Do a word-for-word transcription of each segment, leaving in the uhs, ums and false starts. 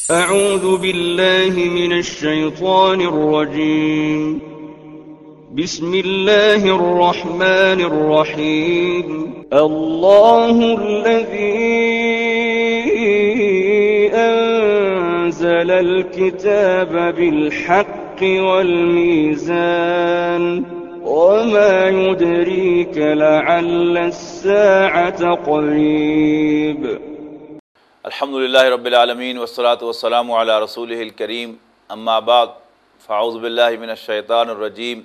أعوذ بالله من الشيطان الرجيم. بسم الله الرحمن الرحيم. الله الذي أنزل الكتاب بالحق والميزان. وما يدريك لعل الساعة قريب. الحمد لله رب العالمين، والصلاة والسلام على رسوله الكريم. أما بعد، فأعوذ بالله من الشيطان الرجيم.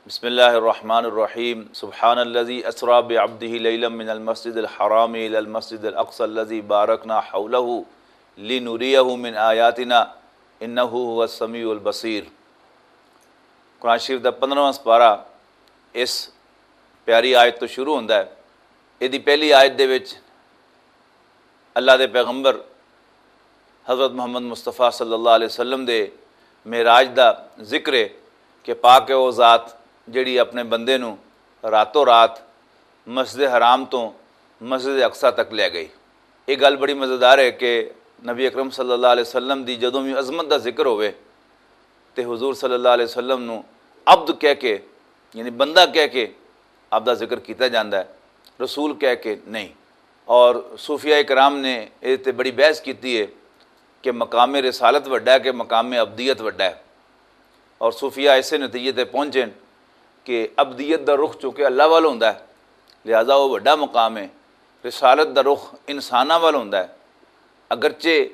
بسم الله الرحمن الرحيم. سبحان الذي أسرى بعبده ليلا من المسجد الحرام إلى المسجد الأقصى الذي باركنا حوله لنريه من آياتنا إنه هو السميع البصير. قرآن شریف دا پندرہواں سپارہ اس پیاری آیت تو شروع ہوندا ہے۔ ایہدی پہلی آیت دے وچ اللہ دے پیغمبر حضرت محمد مصطفیٰ صلی اللہ علیہ وسلم دے معراج دا ذکر ہے کہ پاک ہے وہ ذات جڑی اپنے بندے نوں راتوں رات مسجد حرام تو مسجد اقصی تک لے گئی۔ یہ گل بڑی مزیدار ہے کہ نبی اکرم صلی اللہ علیہ وسلم دی جدوں بھی عظمت دا ذکر ہوئے تے حضور صلی اللہ علیہ وسلم نوں عبد کہہ کے، یعنی بندہ کہہ کے آپ دا ذکر کیتا جاندا ہے، رسول کہہ کے نہیں۔ اور صوفیاء کرام نے اے تے بڑی بحث کیتی ہے کہ مقام رسالت وڈا ہے کہ مقام عبدیت وڈا ہے۔ اور صوفیاء ایسے نتیجے تے پہنچے کہ عبدیت دا رخ چونکہ اللہ وال ہوندا ہے، لہذا وہ وڈا مقام ہے۔ رسالت دا رخ انساناں وال ہوندا ہے، اگرچہ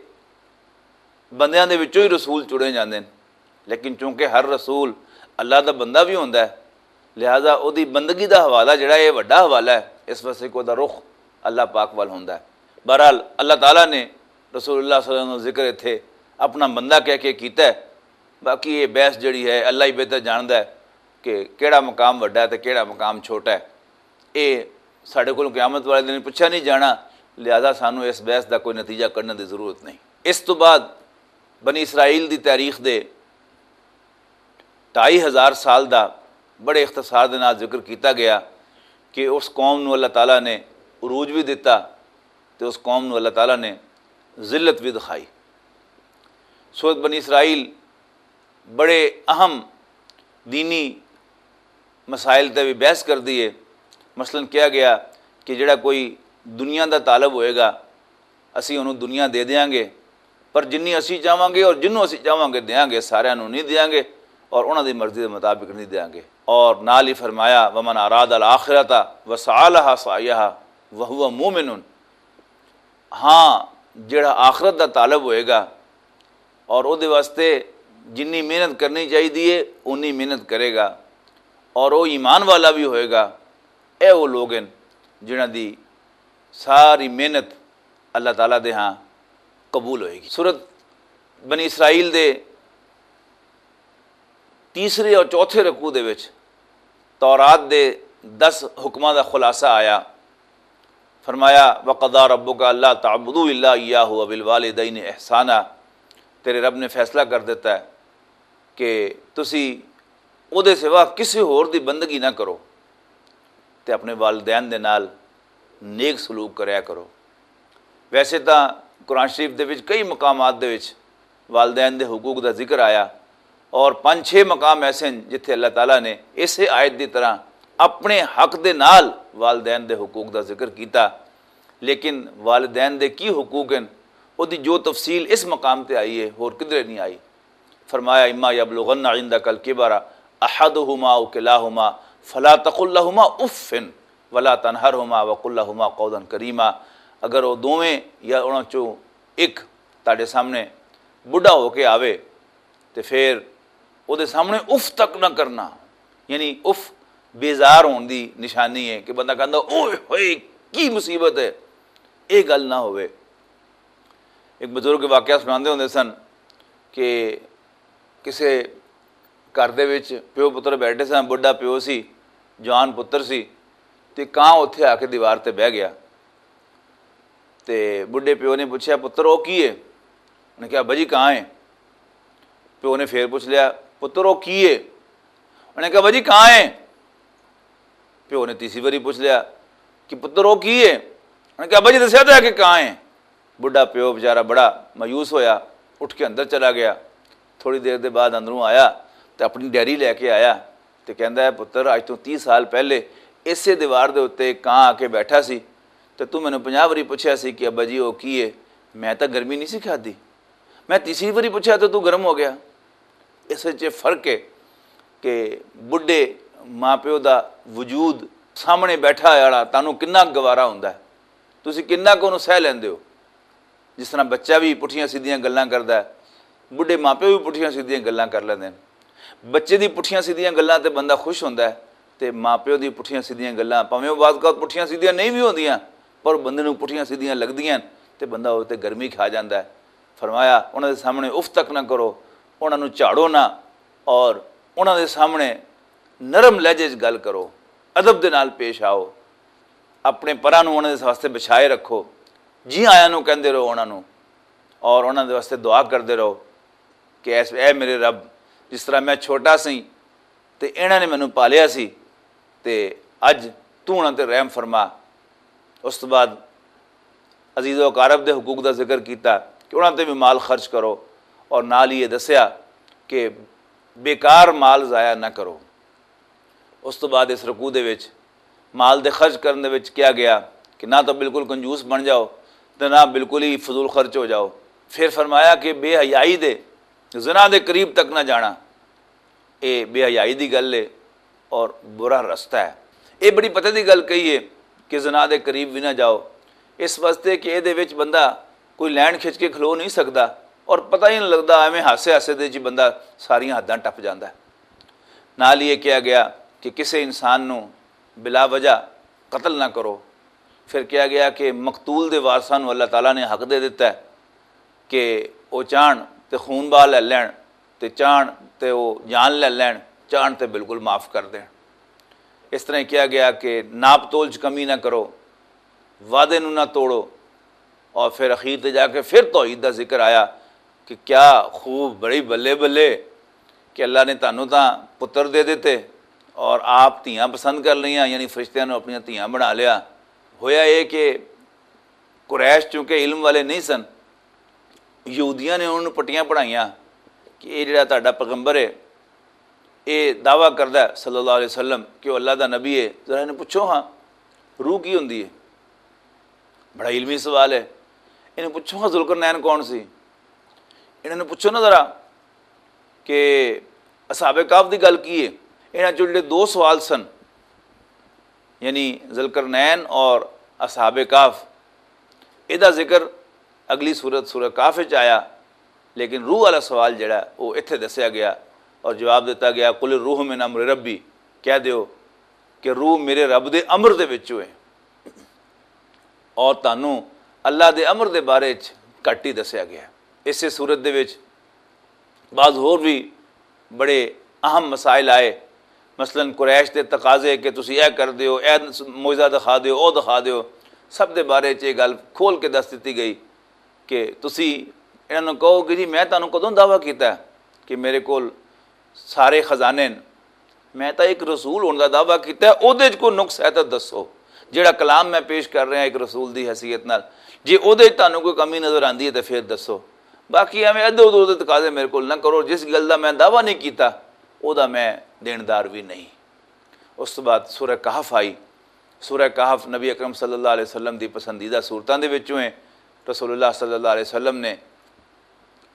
بندیاں دے وچوں ہی رسول چنے جاندے نے، لیکن چونکہ ہر رسول اللہ دا بندہ بھی ہوندا ہے، لہذا اودی بندگی دا حوالہ جڑا ہے، یہ وڈا حوالہ ہے، اس واسطے کہ اودی رخ اللہ پاک وال ہوندا ہے۔ بہرحال، اللہ تعالیٰ نے رسول اللہ صلی اللہ علیہ وسلم دا ذکر اتھے اپنا بندہ کہہ کے کیتا ہے۔ باقی یہ بحث جڑی ہے، اللہ ہی بہتر جاندا ہے کہ کیڑا مقام وڈا ہے تے کیڑا مقام چھوٹا ہے۔ یہ ساڈے کول قیامت والے دن پوچھا نہیں جانا، لہذا سانوں اس بحث دا کوئی نتیجہ کڈن دی ضرورت نہیں۔ اس تو بعد بنی اسرائیل دی تاریخ دے ڈھائی ہزار سال دا بڑے اختصار دے نال ذکر کیتا گیا کہ اس قوم نوں اللہ تعالیٰ نے عروج بھی دتا تے اس قوم نوں اللہ تعالیٰ نے ذلت بھی دکھائی۔ سورت بنی اسرائیل بڑے اہم دینی مسائل تے بھی بحث کردی ہے۔ مثلاً کہا گیا کہ جڑا کوئی دنیا دا طالب ہوئے گا، اسی انہوں دنیا دے دیاں گے، پر جنی اسی چاہواں گے اور جنوں اسی چاہواں گے دیاں گے، ساریاں نوں نہیں دیاں گے اور انہاں دی مرضی دے مطابق نہیں دیاں گے۔ اور نال ہی فرمایا، ومن اراد الاخرۃ وسعی لها سعیها وهو مؤمن۔ ہاں، جڑا آخرت دا طالب ہوئے گا اور او دے واسطے جنی محنت کرنی چاہیے ہے، اونی محنت کرے گا اور او ایمان والا بھی ہوئے گا۔ اے وہ لوگ ہیں جنہاں دی ساری محنت اللہ تعالیٰ دے ہاں قبول ہوئے گی۔ سورت بنی اسرائیل دے تیسرے اور چوتھے رکوع دے وچ تورات دے دس حکماں دا خلاصہ آیا۔ فرمایا، وقضى ربك الا تعبدوا الا اياه وبالوالدين احسانا۔ تیرے رب نے فیصلہ کر دیتا ہے کہ تسی او دے سوا کسی ہور دی بندگی نہ کرو تے اپنے والدین دے نال نیک سلوک کریا کرو۔ ویسے تاں قرآن شریف دے وچ کئی مقامات دے وچ والدین دے حقوق دا ذکر آیا اور پنج چھ مقام ایسے ہیں جتھے اللہ تعالیٰ نے اسے آیت دی طرح اپنے حق دے نال والدین دے حقوق دا ذکر کیتا، لیکن والدین دے کی حقوق ہیں، او دی جو تفصیل اس مقام تے آئی ہے، ہور کدھرے نہیں آئی۔ فرمایا، اما یبلغن عندک الکبر احدہما او کلاہما فلا تقل لہما اف ولا تنہرہما وقل لہما قولا کریما۔ اگر وہ دوویں یا انہاں چوں ایک تہاڈے سامنے بڈھا ہو کے آوے تے پھر او دے سامنے اف تک نہ کرنا، یعنی اف بیزار ہون دی نشانی ہے کہ بندہ کہندا، اوئے ہوئے، کی مصیبت ہے، یہ گل نہ ہوئے۔ ایک بزرگ واقعہ سناندے ہوندے سن کہ کسے گھر دے وچ پیو پتر بیٹھے سن، بڈھا پیو سی، جوان پتر سی، تے کاں اتھے آ کے دیوار تے بہہ گیا۔ تے بڈھے پیو نے پوچھیا، پتر، او کی ہے؟ انہیں کہا، ابا جی، کاں ہے؟ پیو نے پھر پوچھ لیا، پتر، او کی ہے؟ انہیں کہا، ابا جی، کاں ہے؟ پیو نے تیسری باری پوچھ لیا کہ پتر، او کی ہے؟ انہیں کہا، ابا جی، دسیا تو ہے کہ کاں ہے۔ بڈھا پیو بیچارہ بڑا مایوس ہویا، اٹھ کے اندر چلا گیا۔ تھوڑی دیر دے بعد اندروں آیا تے اپنی ڈائری لے کے آیا تے کہندا ہے، "پتر، اج تو تیس سال پہلے اسے دیوار دے اُتے ایک کاں آ کے بیٹھا سی تے تو مینوں پنجاہ واری پوچھیا سی کہ ابا جی، او کی ہے؟ میں تاں گرمی نہیں سی کھادی۔ میں تیسری واری پوچھیا تے تو گرم ہو گیا۔" اس وچ یہ فرق ہے کہ بڈھے ماں پیو دا وجود سامنے بیٹھا ہویا والا تانوں کنا گوارا ہوندا ہے، تسی کنا کو سہ لیندے ہو۔ جس طرح بچہ بھی پٹھیاں سیدھیاں گلاں کردا ہے، بڈھے ماں پیو بھی پٹھیاں سیدھیاں گلاں کر لیندے نے۔ بچے دی پٹھیاں سیدھیاں گلاں تے بندہ خوش ہوندا ہے، تے ماں پیو دی پٹھیاں سیدھیاں گلاں، بھاویں او بعض اوقات پٹھیاں سیدھیاں نہیں بھی ہوندیاں، پر بندے نوں پٹھیاں سیدھیاں لگدیاں تے بندہ او تے گرمی کھا جاندا ہے۔ فرمایا، انہاں دے سامنے اف تک نہ کرو، انہاں نوں جھاڑو نہ، اور انہاں دے سامنے نرم لہجے 'چ گل کرو، ادب دے نال پیش آؤ، اپنے پراں نوں انہاں دے واسطے بچھائے رکھو، جی آیاں نوں کہندے رہو انہاں نوں، اور انہاں دے واسطے دعا کردے رہو کہ اے میرے رب، جس طرح میں چھوٹا سی تے انہاں نے مینوں پالیا سی، تے اج تو انہاں تے رحم فرما۔ اس تو بعد عزیز و اقارب دے حقوق دا ذکر کیتا کہ انہاں تے بھی مال خرچ کرو، اور نال ہی یہ دسیا کہ بیکار مال ضائع نہ کرو۔ اس تو بعد اس رکوع دے وچ مال دے خرچ کرن دے وچ کیا گیا کہ نہ تو بالکل کنجوس بن جاؤ، تے نہ بالکل ہی فضول خرچ ہو جاؤ۔ پھر فرمایا کہ بے حیائی دے، زنا دے قریب تک نہ جانا۔ اے بے حیائی دی گل ہے اور برا رستہ ہے۔ اے بڑی پتہ دی گل کہی ہے کہ زنا دے قریب بھی نہ جاؤ، اس واسطے کہ اے دے وچ بندہ کوئی لین کھچ کے کھلو نہیں سکدا، اور پتہ ہی نہیں لگدا، ایویں ہاسے ہاسے دے جی بندہ ساریاں حداں ٹپ جاندا ہے۔ نال ہی یہ کہا گیا کہ کسے انسان نوں بلا وجہ قتل نہ کرو۔ پھر کہا گیا کہ مقتول دے وارثاں نوں اللہ تعالیٰ نے حق دے دتا ہے کہ او چاہن تے خون بہا لے لین، تے چاہن تے او جان لے لین، چاہن تے بالکل معاف کر دین۔ اس طرح کہا گیا کہ ناپ تول چ کمی نہ کرو، وعدے نوں نہ توڑو۔ اور پھر اخیر تے جا کے پھر توحید دا ذکر آیا کہ کیا خوب، بڑی بلے بلے کہ اللہ نے تانوں تاں پتر دے دتے اور آپ دھیاں پسند کر لئیاں، یعنی فرشتیاں نوں اپنیاں دھیاں بنا لیا۔ ہویا اے کہ قریش چونکہ علم والے نہیں سن، یہودیاں نے انہوں نے پٹیاں پڑھائیاں کہ یہ جڑا تہاڈا پیغمبر ہے، یہ دعویٰ کردا ہے صلی اللہ علیہ وسلم کہ وہ اللہ دا نبی ہے، ذرا انہیں پوچھو ہاں، روح کی ہوندی ہے؟ بڑا علمی سوال ہے۔ انہیں پوچھو ہاں، ذوالقرنین کون سی؟ انہوں نے پوچھو نا ذرا کہ اصحاب کہف دی گل کی ہے؟ انہاں چوں جڑے دو سوال سن، یعنی ذوالقرنین اور اصحاب کہف، اے دا ذکر اگلی سورت سورہ کہف وچ آیا، لیکن روح والا سوال جڑا ہے، وہ اتھے دسیا گیا اور جواب دتا گیا، "قل الروح من امر ربی"، کہہ دیو کہ روح میرے رب دے امر دے وچوں ہے۔ اور تانوں اللہ دے امر دے بارے وچ گھٹ ہی دسیا گیا ہے۔ اسے سورت دے وچ بعض ہور بھی بڑے اہم مسائل آئے، مثلاً قریش دے تقاضے کہ تسی اے کر دیو، اے معجزہ دکھا دیو، او دکھا دیو، سب دے بارے چ یہ گل کھول کے دس دتی گئی کہ تسی انہاں نوں کہو کہ جی میں تانوں کدوں دعویٰ کیتا ہے کہ میرے کول سارے خزانے نے؟ میں تاں ایک رسول ہون دا دعویٰ کیتا ہے، اودے وچ کوئی نقص ہے تاں دسو۔ جیڑا کلام میں پیش کر رہا ایک رسول دی حیثیت نال، جے اودے وچ تانوں کوئی کمی نظر آندی ہے تاں پھر دسو۔ باقی ایویں ادھر ادھر دے تقاضے میرے کول نہ کرو، جس گل دا میں دعویٰ نہیں کیتا، او دا میں دیندار بھی نہیں۔ اس تو بعد سورہ کہف آئی۔ سورہ کہف نبی اکرم صلی اللہ علیہ وسلم دی پسندیدہ سورتاں دے وچوں ہے۔ رسول اللہ صلی اللہ علیہ وسلم نے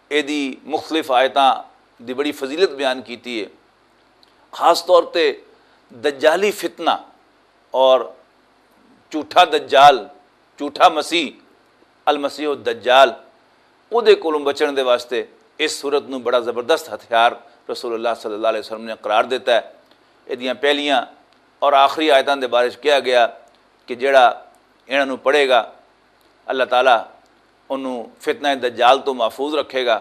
ایدی مختلف آیتاں دی بڑی فضیلت بیان کیتی ہے۔ خاص طور تے دجالی فتنہ اور جھوٹا دجال، جھوٹا مسیح، المسیح الدجال، اودے کولوں بچن دے واسطے اس سورت نوں بڑا زبردست ہتھیار رسول اللہ صلی اللہ علیہ وسلم نے قرار دیتا ہے۔ ایدیاں پہلیاں اور آخری آیتاں دے بارے وچ کہا گیا کہ جڑا انہاں نوں پڑھے گا، اللہ تعالیٰ انہوں فتنہ دجال تو محفوظ رکھے گا،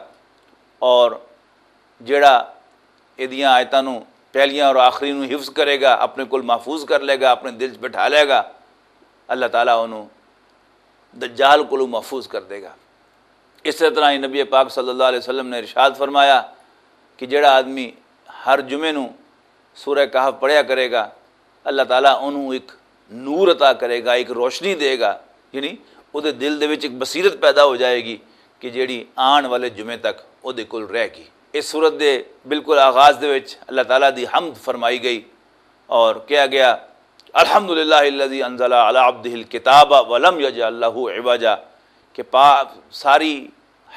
اور جڑا ایدیاں آیتاں نوں پہلیاں اور آخری نوں حفظ کرے گا، اپنے کول محفوظ کر لے گا، اپنے دل 'چ بٹھا لے گا، اللہ تعالیٰ انہوں دجال کولوں محفوظ کر دے گا۔ اس طرح ہی نبی پاک صلی اللہ علیہ وسلم نے ارشاد فرمایا کہ جڑا آدمی ہر جمعے نوں سورہ کہف پڑھیا کرے گا، اللہ تعالیٰ انہوں ایک نور عطا کرے گا، ایک روشنی دے گا، یعنی دے دل دے وچ ایک بصیرت پیدا ہو جائے گی کہ جیڑی آن والے جمعے تک او دے کول رہ گئی۔ اس سورت دے بالکل آغاز دے وچ اللہ تعالیٰ دی حمد فرمائی گئی اور کہا گیا، "الحمدللہ الذی انزل علی عبدہ الکتاب ولم یجعل لہ عوجا"، کہ پا ساری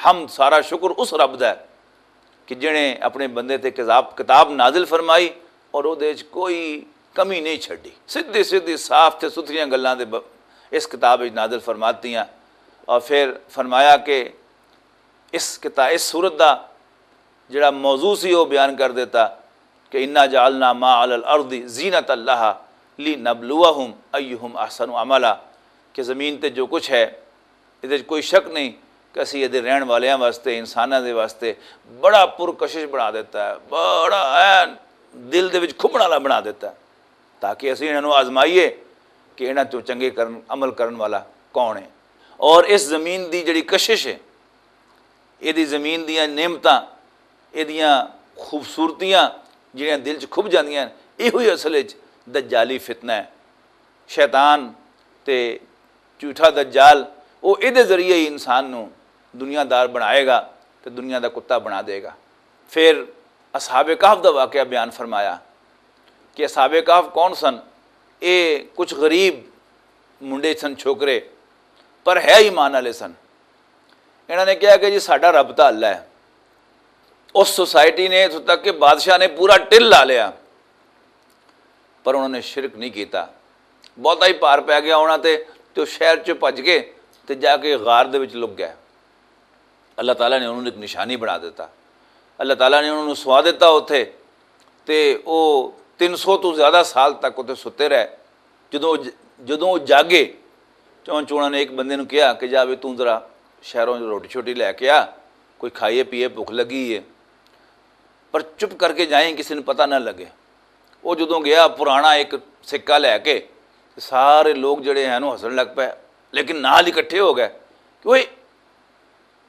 حمد، سارا شکر اس رب دا ہے کہ جنہیں اپنے بندے تے کتاب، کتاب نازل فرمائی اور او دے وچ کوئی کمی نہیں چھڈی۔ سدھی سدھی، صاف تے ستھریاں گلاں دے ب-، اس کتاب وچ نازل فرماتیاں۔ اور پھر فرمایا کہ اس کتا-، اس سورت دا جڑا موضوع سی، وہ بیان کر دیتا کہ "انا جعلنا ما علی الارض زینۃ لہا لنبلوہم ایہم احسن عملا"، کہ زمین تے جو کچھ ہے، ادھر کوئی شک نہیں کہ اسی ادھر رہن والیاں واسطے، انساناں دے واسطے بڑا پرکشش بنا دیتا ہے، بڑا این دل دے وچ کھبن والا بنا دیتا ہے، تاکہ اسی انہاں نوں آزمائیے کہ انہاں چوں چنگے کرن، عمل کرن والا کون ہے۔ اور اس زمین دی جڑی کشش ہے، ایہدی زمین دیاں نعمتاں، ایہدیاں خوبصورتیاں جڑیاں دل چ کھب جاندیاں ہن، ایہو ہی اصل وچ دجالی فتنہ ہے۔ شیطان تے جھوٹا دجال، او ایہدے ذریعے ہی انسان نوں دنیا دار بنائے گا تے دنیا دا کتا بنا دے گا۔ پھر اصحاب کہف دا واقعہ بیان فرمایا کہ اصحاب کہف کون سن؟ اے کچھ غریب منڈے سن، چھوکرے، پر ہے ایمان والے سن۔ انہاں نے کہا کہ "جی، ساڈا رب تاں اللہ ہے۔" اس سوسائٹی نے، اتھوں تک کہ بادشاہ نے پورا ٹل لا لیا، پر انہوں نے شرک نہیں کیتا۔ بہتا ہی پار پی گیا انہاں تے، تے او شہر چ بھج گئے تے جا کے غار دے وچ لک گئے۔ اللہ تعالیٰ نے انہوں نے ایک نشانی بنا دیتا۔ اللہ تعالیٰ نے انہوں نے سوا دیتا اتھے، تے او تین سو تو زیادہ سال تک اتھے ستے رہے۔ جدوں، جدوں وہ جاگے، چون چونا نے ایک بندے نوں کہا کہ "جا بھی توں ذرا شہروں روٹی چھوٹی لے کے آ، کوئی کھائیے پیے، بھوک لگی ہے، پر چپ کر کے جائیں، کسی نوں پتہ نہ لگے۔" وہ جدوں گیا، پرانا ایک سکہ لے کے، سارے لوگ جڑے ہیں، وہ ہسن لگ پے، لیکن نال ہی اکٹھے ہو گئے کہ "اوئے،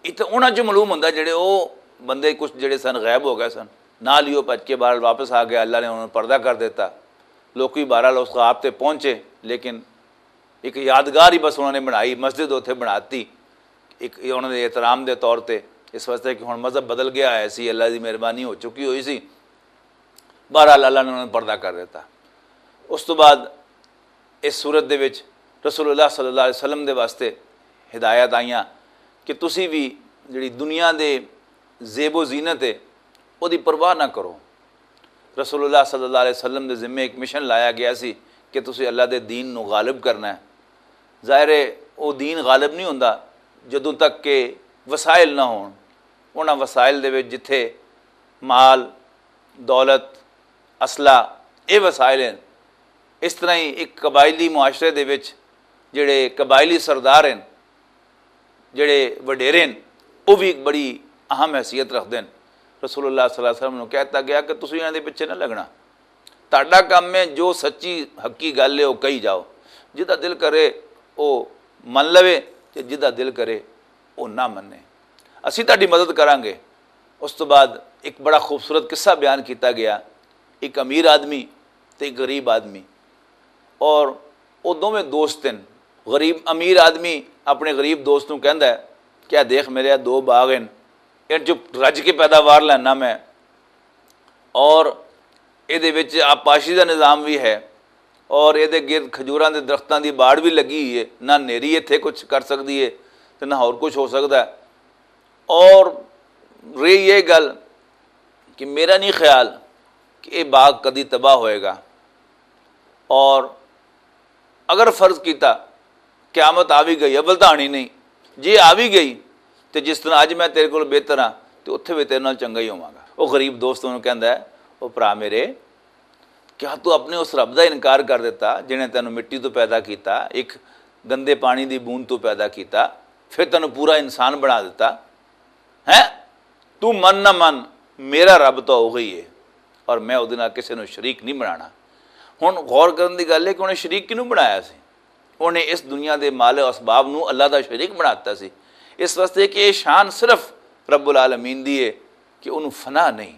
اتنے انہاں چ معلوم ہوندا جڑے او بندے کچھ جڑے سن، غائب ہو گئے سن۔" نال ہی او بھج کے بہرحال واپس آ گیا، اللہ نے انہوں نے پردہ کر دیتا۔ لوکی بہرحال اس خواب تے پہنچے، لیکن ایک یادگار ہی بس انہوں نے بنائی، مسجد اتھے بناتی، ایک یہ انہوں نے احترام دے طور تے، اس واسطے کہ ہن مذہب بدل گیا ہے سی، اللہ دی مہربانی ہو چکی ہوئی سی۔ بہرحال اللہ نے انہوں نے پردہ کر دیتا۔ اس تو بعد اس صورت دے وچ رسول اللہ صلی اللہ علیہ وسلم دے واسطے ہدایت آئیاں کہ تسی بھی جڑی دنیا دے زیب و زینت ہے، او دی پرواہ نہ کرو۔ رسول اللہ صلی اللہ علیہ وسلم دے ذمے ایک مشن لایا گیا سی کہ تسی اللہ دے دین نو غالب کرنا ہے۔ ظاہر ہے، او دین غالب نہیں ہوندا جدوں تک کہ وسائل نہ ہون۔ انہاں وسائل دے وچ جتھے مال، دولت، اسلحہ، اے وسائل ہیں۔ اس طرح ہی ایک قبائلی معاشرے دے وچ جڑے قبائلی سردار ہیں، جڑے وڈیرے ہیں، وہ بھی ایک بڑی اہم حیثیت رکھتے ہیں۔ رسول اللہ صلی اللہ علیہ وسلم نے کہتا گیا کہ تسی انہاں دے پیچھے نہ لگنا، تہاڈا کم ہے جو سچی حقی گل ہے وہ کہی جاؤ، جدا دل کرے وہ من لوے، تے جدا دل کرے وہ نہ منے۔ اسی تہاڈی مدد کرانگے۔ اس تو بعد ایک بڑا خوبصورت قصہ بیان کیتا گیا، ایک امیر آدمی تے ایک غریب آدمی، اور وہ دوویں دوست ہیں۔ غریب، امیر آدمی اپنے غریب دوست نوں کہندا ہے کہ "آ دیکھ، میرے آ دو باغ ہیں، ان چ رج کے پیداوار لینا میں، اور اے دے وچ آبپاشی دا نظام بھی ہے، اور اے دے گرد کھجوراں دے درختاں دی باڑ بھی لگی ہوئی ہے، نہ نیری اتھے کچھ کر سکدی ہے تے نہ ہور کچھ ہو سکدا ہے۔ اور رہی یہ گل کہ میرا نہیں خیال کہ یہ باغ کدی تباہ ہوئے گا، اور اگر فرض کیتا قیامت آ بھی گئی، اول تاں آنی نہیں، جے آ بھی گئی تے جس طرح اج میں تیرے کول بہتر ہاں، تے اتھے بھی تیرے نال چنگا ہی ہوواں گا۔" وہ غریب دوست انہوں کہندا ہے، "او بھرا میرے، کیا تو اپنے اس رب دا انکار کر دیتا جنہیں تینوں مٹی تو پیدا کیتا، ایک گندے پانی دی بوند تو پیدا کیتا، پھر تینوں پورا انسان بنا دیتا؟ ہیں؟ تو من نہ من، میرا رب تو ہو گئی ہے، اور میں ادھے نال کسے نوں شریک نہیں بنانا۔" ہن غور کرن دی گل ہے کہ انہیں شریک کینوں بنایا سی؟ انہیں اس دنیا دے مال و اسباب نوں اللہ دا شریک بناتا سی۔ اس واسطے کہ یہ شان صرف رب العالمین دی ہے کہ انہوں فنا نہیں،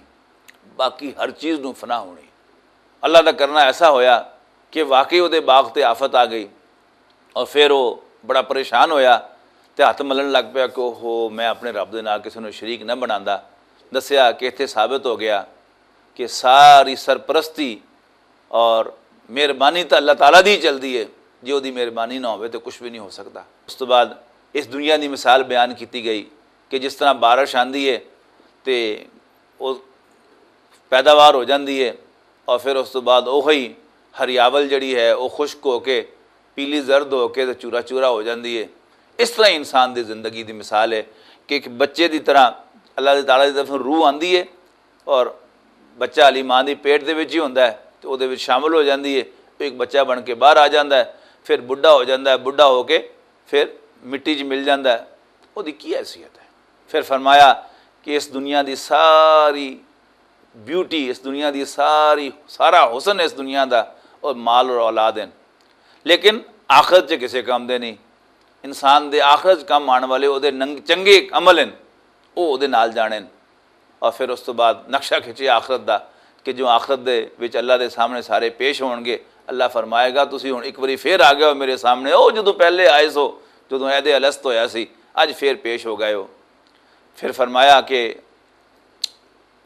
باقی ہر چیز نوں فنا ہونی۔ اللہ دا کرنا ایسا ہویا کہ واقعی وہ دے باغ تے آفت آ گئی، اور پھر وہ بڑا پریشان ہویا تے ہتھ ملن لگ پیا کہ اوہو، میں اپنے رب دے نال کسے نوں شریک نہ بناندا۔ دسیا کہ اتھے ثابت ہو گیا کہ ساری سرپرستی اور مہربانی تاں اللہ تعالیٰ دی چلدی ہے۔ جے اوہدی مہربانی نہ ہووے تے کچھ وی نہیں ہو سکدا۔ اس توں بعد اس دنیا دی مثال بیان کیتی گئی کہ جس طرح بارش آندی ہے تے او پیداوار ہو جاندی ہے، اور فیر اس توں بعد اوہی ہریاول جیہڑی ہے او خشک ہو کے پیلی زرد ہو کے تے چورا چورا ہو جاندی ہے۔ اس طرح انسان دی زندگی دی مثال ہے کہ اک بچے دی طرح اللہ تعالیٰ دی طرف روح آندی ہے، اور بچہ علی ماں دی پیٹ دے وچ ہی ہوندا ہے تے اوہدے وچ شامل ہو جاندی ہے۔ اک بچہ بن کے باہر آ جاندا ہے، فیر بڈھا ہو جاندا ہے، بڈھا ہو کے فیر مٹی چ مل جاندا ہے۔ اوہدی کی حیثیت ہے؟ فیر فرمایا کہ اس دنیا دی ساری بیوٹی، اس دنیا دی ساری سارا حسن اس دنیا دا اور مال اور اولاد ہیں، لیکن آخرت چ کسے کم دے نہیں۔ انسان دے آخرت چ کم آن والے اوہدے ننگ چنگے عمل ہیں، او اوہدے نال جانے ہیں۔ اور فیر اس توں بعد نقشہ کھچے آخرت دا کہ جو آخرت دے وچ اللہ دے سامنے سارے پیش ہون گے۔ اللہ فرمائے گا، تسی ہن اک واری فیر آ گئے ہو میرے سامنے، او جدوں پہلے آئے سو، جدوں عہد الست ہویا سی، اج فیر پیش ہو گئے ہو۔ فیر فرمایا کہ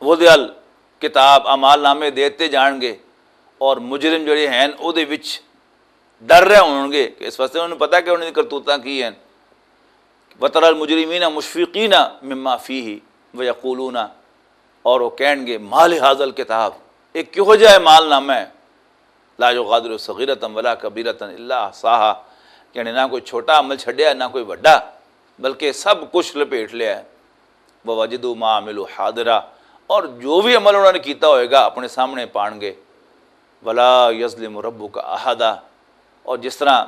وضع الکتاب، اعمال نامے دیتے جان گے، اور مجرم جڑے ہیں اوہدے وچ ڈر رہے ہون گے کہ اس واسطے انہوں نے پتا کہ انہوں نے کرتوتاں کی ہیں۔ وترى المجرمين مشفقين مما فيه ويقولون، اور وہ کہیں گے، ما لهذا الكتاب، یہ کہو جہا مال نامہ ہے، لا يغادر صغيرة ولا كبيرة إلا أحصاها، یعنی نہ کوئی چھوٹا عمل چھڈیا، نہ کوئی وڈا، بلکہ سب کچھ لپیٹ لیا ہے۔ ووجدوا ما عملوا حاضرا، اور جو بھی عمل انہوں نے کیتا ہوئے گا اپنے سامنے پان گے۔ ولا يظلم ربك أحدا، اور جس طرح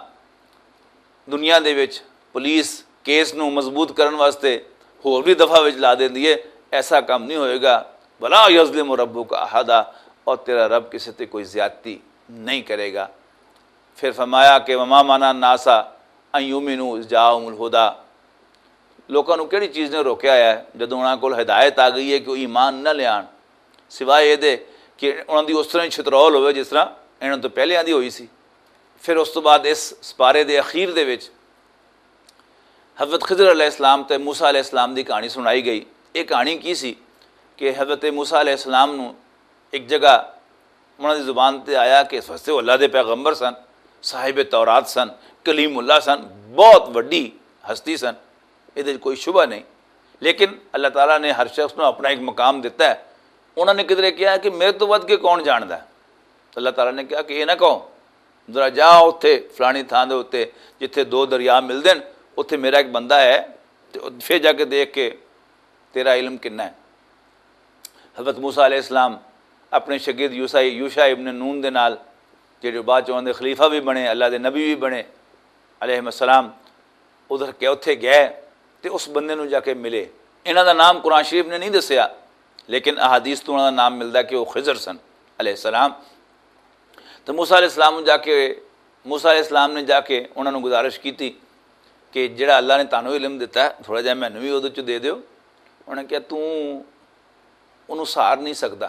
دنیا دے وچ پولیس کیس نوں مضبوط کرن واسطے ہور بھی دفعہ وچ لا دیندی ہے، ایسا کم نہیں ہوئے گا۔ ولا يظلم ربك أحدا، اور تیرا رب کسے تے کوئی زیادتی نہیں کرے گا۔ پھر فرمایا کہ وما منع الناس ان يؤمنوا اذ جاءهم الهدى، لوکاں نوں کہڑی چیز نے روکیا ہے جدوں انہاں کول ہدایت آ گئی ہے کہ وہ ایمان نہ لیان، سوائے اے دے کہ انہاں دی اس طرح ہی چھترول ہوئے جس طرح انہاں تو پہلے آندی ہوئی سی۔ پھر اس تو بعد اس سپارے دے اخیر دے وچ حضرت خضر علیہ السلام تے موسیٰ علیہ السلام دی کہانی سنائی گئی۔ یہ کہانی کی سی کہ حضرت موسیٰ علیہ السلام نوں ایک جگہ انہاں دی زبان تے آیا کہ اس واسطے وہ اللہ دے پیغمبر سن، صاحب تورات سن، کلیم اللہ سن، بہت وڈی ہستی سن، یہ کوئی شبہ نہیں۔ لیکن اللہ تعالیٰ نے ہر شخص نوں اپنا ایک مقام دیتا ہے۔ انہاں نے کدھر کہا کہ میرے تو ود کے کون جاندا ہے؟ اللہ تعالیٰ نے کہا کہ یہ نہ کہو، ذرا جا اتھے فلانی تھاں دے اُتے جتھے دو دریا ملدے نے، اتھے میرا ایک بندہ ہے، تے پھر جا کے دیکھ کہ تیرا علم کنا ہے۔ حضرت موسیٰ علیہ السلام اپنے شاگرد یوسا یوشا ابن نون دے نال، جڑے بعد چ انہاں دے خلیفہ بھی بنے، اللہ دے نبی بھی بنے علیہ السلام، ادھر کے اتھے گئے تے اس بندے نوں جا کے ملے۔ انہاں دا نام قرآن شریف نے نہیں دسیا، لیکن احادیث تو انہاں دا نام ملدا کہ وہ خضر سن علیہ السلام۔ تو موسیٰ علیہ السلام نوں جا کے، موسیٰ علیہ السلام نے جا کے انہاں نوں گزارش کیتی کہ جڑا اللہ نے تانوں علم دتا ہے، تھوڑا جہا مینوں بھی اودے چ دے دیو۔ انہاں نے کہا، "توں انہوں سار نہیں سکدا۔"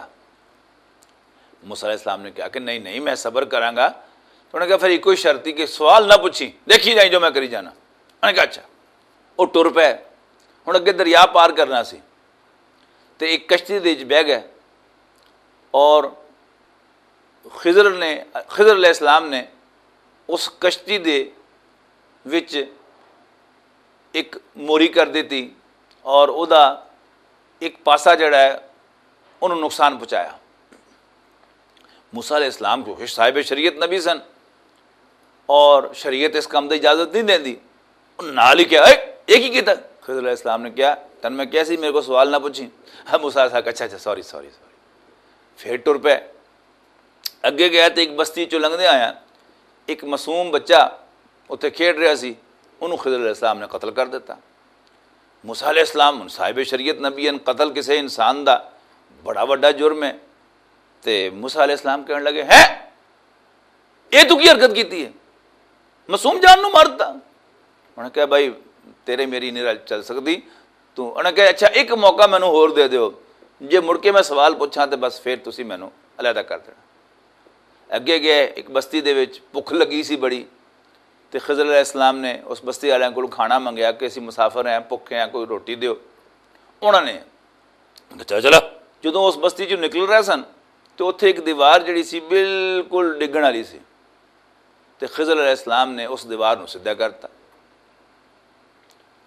موسیٰ علیہ السلام نے کہا کہ، "نہیں، نہیں، میں صبر کراں گا۔" انہاں نے کہا، "پھر ایک ہی شرط ہی کہ سوال نہ پوچھی، دیکھی جائیں جو میں کری جانا۔" انہاں نے کہا، "اچھا۔" وہ ٹر پے۔ ہن اگے دریا پار کرنا سی تے ایک کشتی دے وچ بہ گئے، اور خضر نے، خضر علیہ السلام نے اس کشتی دے وچ ایک موری کر دیتی، اور او دا ایک پاسا جڑا ہے، انہوں نقصان پہنچایا۔ موسیٰ علیہ السلام کیونکہ صاحب شریعت نبی سن، اور شریعت اس کام دی اجازت نہیں دیندی۔ انہوں نال ہی کہا، "اے، یہ کی کیتا؟" خضر علیہ السلام نے کہا، "تن میں کہا سی میرے کو سوال نہ پوچھی۔" ہاں، موسیٰ علیہ السلام کہا، "اچھا، اچھا، سوری، سوری، سوری۔" پھر ٹر پے۔ اگے گیا تے ایک بستی چوں لنگھدے آیا، ایک معصوم بچہ اتھے کھیڈ رہا سی، انہوں خضر علیہ السلام نے قتل کر دیتا۔ موسیٰ علیہ السلام ہن صاحب شریعت نبی ہن، قتل کسے انسان دا بڑا وڈا جرم ہے۔ تے موسیٰ علیہ السلام کہن لگے، "ہیں؟ یہ تو کی حرکت کیتی ہے؟ معصوم جان نو مار دتا۔" انہاں کہا، "بھائی، تیرے میری نہیں رل چل سکدی۔" تو انہاں کہا، "اچھا، ایک موقع مینوں ہور دے دیو، جے مڑ کے میں سوال پوچھاں تے بس پھر تسی مینوں علیحدہ کر دینا۔" اگے گئے، ایک بستی دے وچ بھکھ لگی سی بڑی، تے خضر علیہ السلام نے اس بستی والوں کول کھانا منگیا کہ اسی مسافر ہیں، بھکھے ہیں، کوئی روٹی دیو۔ انہاں نے دتا چلا۔ جدوں اس بستی چوں نکل رہے سن، تے اتھے ایک دیوار جڑی سی، بالکل ڈگن والی سی۔ تے خضر علیہ السلام نے اس دیوار نوں سدھا کرتا۔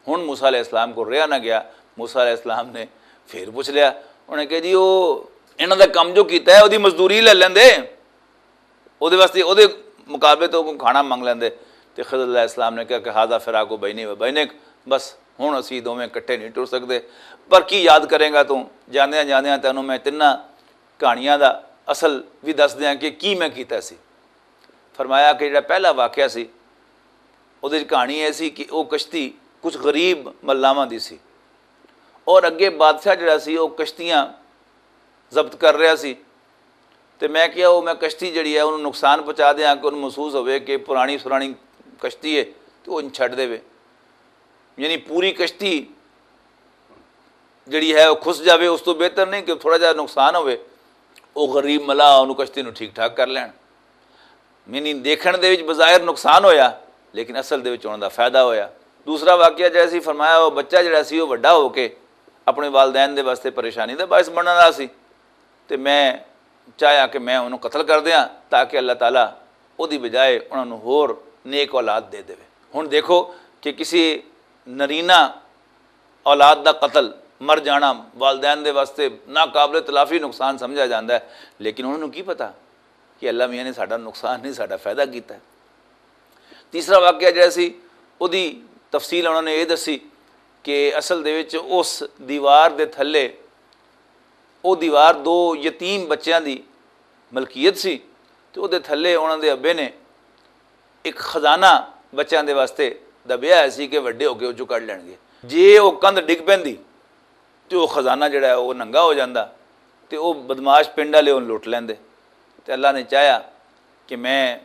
ہن موسیٰ علیہ السلام کو رہا نہ گیا۔ موسیٰ علیہ السلام نے پھر پوچھ لیا۔ انہاں نے کہا، "جی، او انہاں دا کم جو کیتا ہے، اودی مزدوری لے لیندے، اودے واسطے، اودے مقابلے تو کوئی کھانا منگ لیندے۔" تے خضر علیہ السلام نے کہا کہ "ھذا فراق بینی و بینک، بس ہن اسی دوویں اکٹھے نہیں ٹر سکدے۔ پر کی یاد کریں گا تو؟" جاندیاں جاندیاں تینوں میں تیناں کہانیاں دا اصل بھی دس دیاں کہ کی میں کیتا سی۔ فرمایا کہ جڑا پہلا واقعہ سی، اودے وچ کہانی اے سی کہ او کشتی کچھ غریب ملاواں دی سی، اور اگے بادشاہ جڑا سی، او کشتیاں ضبط کر رہا سی۔ تے میں کہیا، او میں کشتی جڑی ہے، اونوں نقصان پہنچا دیاں کہ اونوں محسوس ہوئے کہ پرانی سرانی کشتی ہے، تے او چھڈ دے۔ یعنی پوری کشتی جڑی ہے، او کھس جاوے، اس تو بہتر نہیں کہ تھوڑا جہا نقصان ہوئے، او غریب ملا اونوں کشتی نوں ٹھیک ٹھاک کر لین۔ یعنی دیکھن دے وچ بظاہر نقصان ہویا، لیکن اصل دے وچ انہاں دا فائدہ ہویا۔ دوسرا واقعہ جڑا سی فرمایا، او بچہ جڑا سی، او وڈا ہو کے اپنے والدین دے واسطے پریشانی دا باعث بننا سی، تے میں چاہیا کہ میں انہوں قتل کر دیاں، تاکہ اللہ تعالیٰ اودی بجائے انہاں نوں ہور نیک اولاد دے دے۔ ہن دیکھو کہ کسی نرینہ اولاد دا قتل، مر جانا، والدین دے واسطے ناقابل تلافی نقصان سمجھا جاندا ہے، لیکن انہاں نوں کی پتا کہ اللہ میاں نے ساڈا نقصان نہیں، ساڈا فائدہ کیتا ہے۔ تیسرا واقعہ جڑا سی، اودی تفصیل انہوں نے یہ دسی کہ اصل دے وچ اس دیوار دے تھلے، او دیوار دو یتیم بچیاں دی ملکیت سی، تے اودے تھلے انہاں دے ابے نے ایک خزانہ بچیاں دے واسطے دبیا ہویا سی کہ وڈے ہو کے او چوں کڈ لین گے۔ جے او کندھ ڈگ پیندی تے او خزانہ جڑا ہے، او ننگا ہو جاندا، تے او بدمعاش پنڈ والے اون لٹ لیندے۔ تے اللہ نے چاہیا کہ میں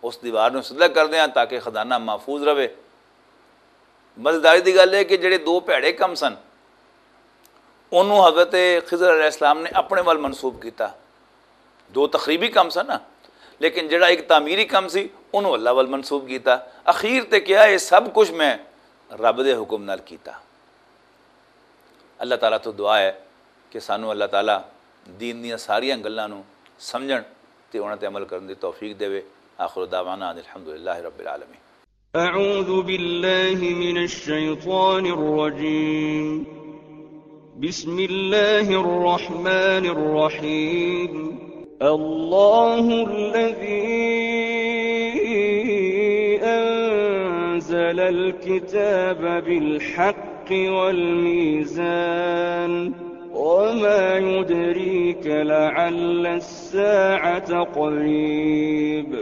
اس دیوار نوں سدھا کر دیاں تاکہ خزانہ محفوظ رہے۔ مزیداری دی گل ہے کہ جڑے دو بھڑے کم سن، انہوں حضرت خضر علیہ السلام نے اپنے ول منسوب کیتا۔ دو تخریبی کم سن نا، لیکن جڑا ایک تعمیری کم سی، انہوں اللہ ول منسوب کیتا۔ اخیر تے کیا، یہ سب کچھ میں رب دے حکم نال کیتا۔ اللہ تعالیٰ تو دعا ہے کہ سانو اللہ تعالیٰ دین دیاں ساریاں گلاں نوں سمجھن تے انہاں تے عمل کرن دی توفیق دے۔ آخر دعوانا ان الحمدللہ رب العالمین۔ أعوذ بالله من الشيطان الرجيم. بسم الله الرحمن الرحيم. الله الذي أنزل الكتاب بالحق والميزان. وما يدريك لعل الساعة قريب.